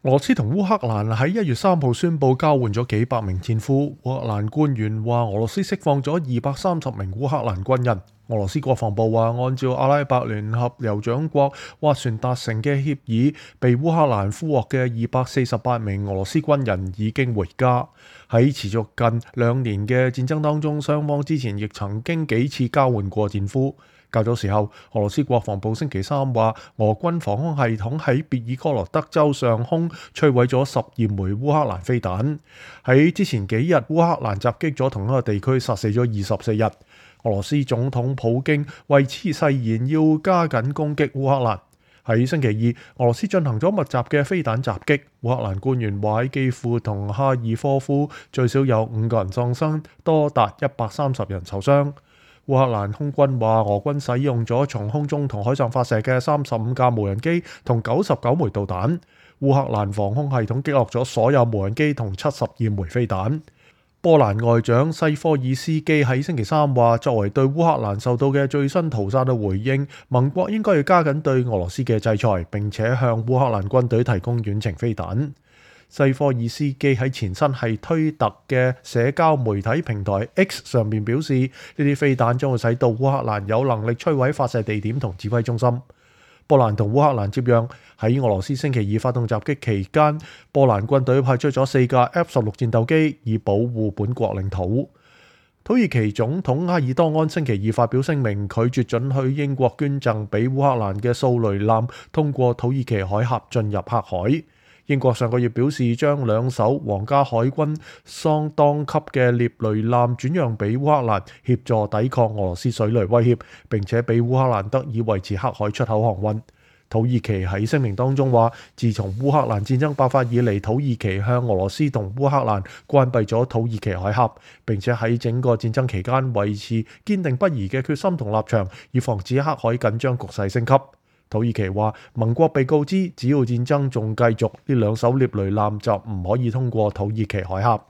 俄羅斯同烏克蘭喺1月3號宣布交換咗幾百名戰俘。烏克蘭官員話俄羅斯釋放咗230名烏克蘭軍人。俄羅斯國防部話，按照阿拉伯聯合酋長國斡旋達成嘅協議，被烏克蘭俘獲嘅248名俄羅斯軍人已經回家。喺持續近2年嘅戰爭當中，雙方之前亦曾經幾次交換過戰俘。較早時候，俄羅斯國防部星期3話，俄軍防空系統喺別爾哥羅德州上空摧毀咗12枚烏克蘭飛彈。喺之前幾日，烏克蘭襲擊咗同一個地區，殺死咗24人。俄羅斯總統普京為此誓言要加緊攻擊烏克蘭。喺星期2，俄羅斯進行咗密集嘅飛彈襲擊。烏克蘭官員話喺基輔同哈爾科夫最少有5個人喪生，多達130人受傷。烏克蘭空軍話，俄軍使用咗從空中同海上發射嘅35架無人機同99枚導彈。烏克蘭防空系統擊落咗所有無人機同72枚飛彈。波蘭外長西科爾斯基喺星期3話，作為對烏克蘭受到嘅最新屠殺嘅回應，盟國應該要加緊對俄羅斯嘅制裁，並且向烏克蘭軍隊提供遠程飛彈。西科爾斯基喺前身係推特嘅社交媒體平台 X 上面表示，呢啲飛彈將會使到烏克蘭有能力摧毀發射地點同指揮中心。波蘭同烏克蘭接壤，喺俄羅斯星期2發動襲擊期間，波蘭軍隊派出咗4架 F-16戰鬥機以保護本國領土。土耳其總統埃爾多安星期2發表聲明，拒絕准許英國捐贈俾烏克蘭嘅掃雷艦通過土耳其海峽進入黑海。英國上個月表示，將2艘皇家海軍桑當級嘅獵雷艦轉讓俾烏克蘭，協助抵抗俄羅斯水雷威脅，並且俾烏克蘭得以維持黑海出口航運。土耳其喺聲明當中話，自從烏克蘭戰爭爆發以嚟，土耳其向俄羅斯同烏克蘭關閉咗土耳其海峽，並且喺整個戰爭期間維持堅定不移嘅決心同立場，以防止黑海緊張局勢升級。土耳其話，盟國被告知，只要戰爭仲繼續，呢2艘獵雷艦就唔可以通過土耳其海峽。